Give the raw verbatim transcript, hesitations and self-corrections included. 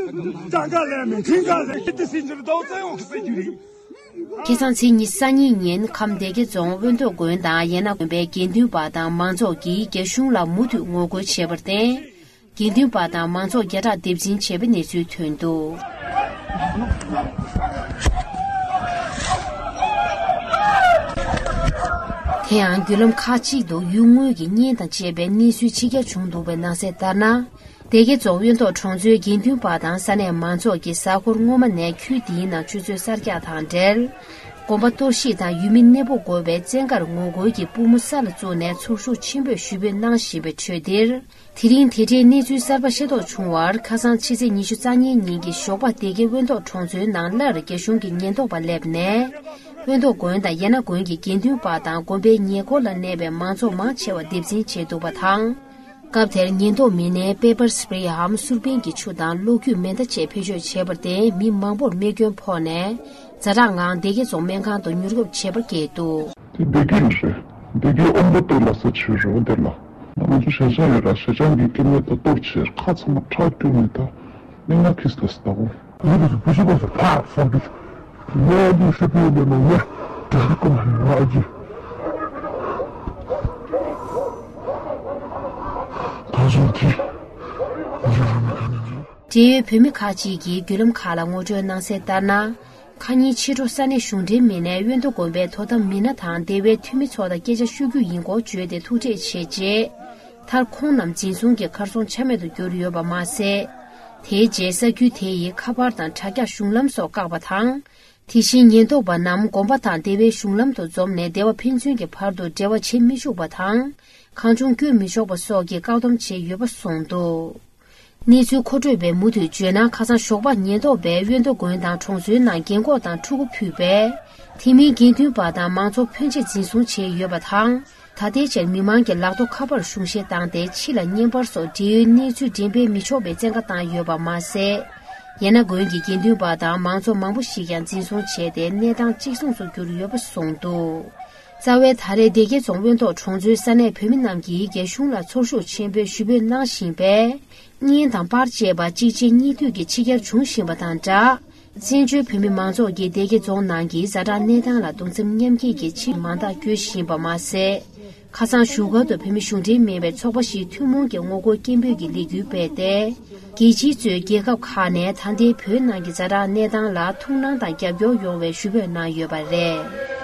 ཀྲང་ཀ་ལས་མི་ཁྲིན་ཀ་ལས་ཏི་སི་འཇུར་དོ་ཙེ་ཡོང་སྲིད་རྒྱུ་རེད། ཁ་སང་ཚེས་ཉི་ཤུ་རྩ་གཉིས་ཉིན་ཁམས་སྡེ་དགེ་རྫོང་དབོན་ཐོག་དགོན་དང་ཡན་ན་དགོན་པའི་དགེ་འདུན་པ་དང་མང་ཚོགས་ཀྱིས་རྒྱ་གཞུང་ལ་མུ་མཐུད་ངོ་རྒོལ་བྱས་པར་བརྟེན། དགེ་འདུན་པ་དང་མང་ཚོགས་བརྒྱ་ཕྲག་སྡེབ་འཛིན་བྱས་པའི་གནས་ཚུལ་ཐོན་འདུག་དེ་ཡང་བརྒྱུད་ལམ་ཁག་ཅིག་ཏུ་ཡུལ་དངོས་ཀྱི་གཉེན་དང་བཅས་པའི་གནས་ཚུལ་ཕྱི་གྱར་བྱུང་འདུག་པའི་ནང་གསལ་ལྟར་ན། སྡེ་དགེ་རྫོང་དབོན་ཐོག་གྲོང་ཚོའི་དགེ་འདུན་པ་དང་ས་གནས་མང་ཚོགས་ཀྱིས་གཟའ་འཁོར་སྔོན་མ་ནས་ཁུལ་འདིའི་ནང་ཆུ་ཚོད་གསར་རྒྱག་དང་འབྲེལ། དགོན་པ་གཏོར་བཤིག་དང་ཡུལ་མི་གནས་སྤོ་དགོས་པའི་བཙན་བཀར་ངོ་རྒོལ་གྱི་པུས་མོ་ས་ལ་བཙུགས་ནས་ཚོར་ཤུགས་ཆེན་པོས་ཞུ་འབོད་གནང་བཞིན་པའི་ཁྲོད་འདིར། དེ་རིང་དེ་འབྲེལ་གནས་ཚུལ་གསར་པ་ཤེས་རྟོགས་བྱུང་བར། ཁ་སང་ཕྱི་ཚེས་ཉི་ཤུ་རྩ་གཉིས་ཉིན་གྱི་ཞོགས་པ་སྡེ་དགེ་དབོན་ཐོག་གྲོང་ཚོའི་ནང་སླར་རྒྱ་གཞུང་གི་ཉེན་རྟོག་པ་སླེབས་ནས། དབོན་ཐོག་དགོན་དང་ཡན་ན་དགོན་གྱི་དགེ་འདུན་པ་དང་དགོན་པའི་ཉེ་འཁོར་ལ་གནས་པའི་མང་ཚོགས་མང་ཆེ་བ་སྡེབ་འཛིན་བྱས་འདུག་པ་དང་། སྐབས་དེར་ཉེན་རྟོག་མི་སྣས་པེ་པར་སི་པེ་རེ་འམ་སུར་པན་གྱི་ཆུ་དང་གློག་འཁྱུག་མེ་མདའ་བཅས་བེད་སྤྱོད་བྱས་པར་བརྟེན། མི་མང་པོར་རྨས་སྐྱོན་ཕོག་ནས། ཛ་དྲག་ངང་སྡེ་དགེ་རྫོང་སྨན་ཁང་དུ་མྱུར་སྐྱོབ་བྱས་པར་བསྐྱལ་འདུག་དེ་སྡེ་དགེ་རེད། སྡེ་དགེ་ཨོམ་པོ་ཏོ་ལ་ས་ཆུ་རེད་འདིར་ལ། ང་ཚོ་ཞེ་ཆང་ཡོད་ར། ཞེ་ཆང་གི་སྐྱེ་དམན་དང་གཏོར་བྱས། ཁ་ཚང་མ་ཁྲག་སྐྱུག་ནས་ད་གནས་ངན་ཁིས་ལ་སྟག་འོ། ཡིན་དུས་སུ་བུ་ཤི་པ་སུ་ཕག་སོགས་ཀྱི་ལས་འདི་ཤི་པའི་ལས་ནོ་ཡ་དྲན་གོ་མ་ཡོད་ཨ་ཅི། ད་སོང་དེ་ཡིན་རུང་མི་ག་ནས་འཇུ། འབྲེལ་ཡོད་བོད་མི་ཁག་ཅིག་གིས་བརྒྱུད་ལམ་ཁག་ལ་ངོ་སྤྲོད་གནང་གསལ་ལྟར་ན། ཁ་ཉིན་ཕྱི་དྲོ་ས་གནས་གཞུང་འབྲེལ་མི་སྣས་དབོན་ཐོག་དགོན་པའི་དོ་དམ་མི་སྣ་དང་སྡེ་བའི་འཐུས་མི་ཚོ་དང་སྐད་ཆ་ཤོད་རྒྱུ་ཡིན་སྐོར་བརྗོད་དེ་ཐུག་འཕྲད་བྱས་རྗེས། མཐར་ཁོང་རྣམས་འཛིན་བཟུང་གིས་གར་སོང་ཆ་མེད་དུ་གྱུར་ཡོད་པ་མ་ཟད། དེའི་རྗེས་ས་ཁུལ་དེ་ཡི་ཁ་པར་དང་དྲ་རྒྱ་གཞུང་ལམ་སོགས་བཀག་པ་དང་། དེ་བཞིན་ཉེན་རྟོག་པ་རྣམས་དགོན་པ་དང་སྡེ་བའི་གཞུང་ལམ་དུ་འཛོམས་ནས་སྡེ་བ་ཕན་ཚུན་གྱི་བར་དུ་འབྲེལ་བ་བྱེད་མི་ཆོག་པ་དང་། གང་བྱུང་བསྐྱོད་མི་ཆོག་པ་སོགས་ཀྱི་བཀག་སྡོམ་བྱས་ཡོད་པ་གསུངས་འདུག་གནས་ཚུལ་མཁོ་སྤྲོད་པས་མུ་མཐུད་བརྗོད་ན། ཁ་སང་ཞོགས་པ་ཉེན་རྟོག་པས་དབོན་ཐོག་དགོན་དང་གྲོང་ཚོའི་ནང་རྒན་འཁོགས་དང་ཕྲུ་གུ་ཕུད་པས། དེ་མིན་དགེ་འདུན་པ་དང་མང་ཚོགས་ཕོན་ཆེ་འཛིན་བཟུང་བྱས་ཡོད་པ་དང་། ད་ལྟའི་ཆར་མི་མང་གི་ལག་ཐོགས་ཁ་པར་གཞུང་བཞེས་བཏང་སྟེ། ཕྱི་ལ་བརྙན་པར་སོགས་འབྲེལ་ཡོད་གནས་ཚུལ་འགྲེམས་སྤེལ་མི་ཆོག་པའི་བཙན་བཀའ་བཏང་ཡོད་པ་མ་ཟད། ཡན་ན་དགོན་གྱི་དགེ་འདུན་པ་དང་མང་ཚོགས་མང་པོ་ཞིག་ཀྱང་འཛིན་བཟུང་བྱས་ཏེ། གནས་སྟངས་གཅིག་མཚུངས་སུ་གྱུར་ཡོད་པ་གསུངས་འདུག་རྩ་བའི་ད་རེས་སྡེ་དགེ་རྫོང་དབོན་ཐོག་གྲོང་ཚོའི་ས་གནས་བོད་མི་རྣམས་ཀྱིས་རྒྱ་གཞུང་ལ་ཚོར་ཤུགས་ཆེན་པོས་ཞུ་འབོད་གནང་བཞིན་པས། གཉེན་དང་པར་བཅས་པ་གཅིག་རྗེས་གཉིས་མཐུད་ཀྱིས་ཕྱི་གྱར་འབྱུང་བཞིན་པ་དང་སྦྲགས། བཙན་བྱོལ་བོད་མི་མང་ཚོགས་ཀྱིས་སྡེ་དགེ་རྫོང་ནང་གི་ཛ་དྲག་གནས་སྟངས་ལ་གདུང་སེམས་མཉམ་སྐྱེད་ཀྱི་ཆེད་མང་དག་བསྐྱོད་བཞིན་པ་མ་ཟད། ཁ་སང་བཞུགས་སྒར་དུ་བོད་མི་གཞུང་འབྲེལ་མིན་པའི་ཚོགས་པ་ཞིག་ཐུན་མོང་གི་ངོ་རྒོལ་སྐད་འབོད་ཀྱི་ལས་འགུལ་སྤེལ་ཏེ། རྒྱལ་སྤྱིའི་གཙོས་རྒྱལ་ཁབ་ཁག་ནས་ད་ལྟའི་བོད་ནང་གི་ཛ་དྲག་གནས་སྟངས་ལ་ཐུགས་སྣང་དང་རྒྱབ་སྐྱོར་ཡོང་བའི་ཞུ་འབོད་གནང་ཡོད་པ་རེད།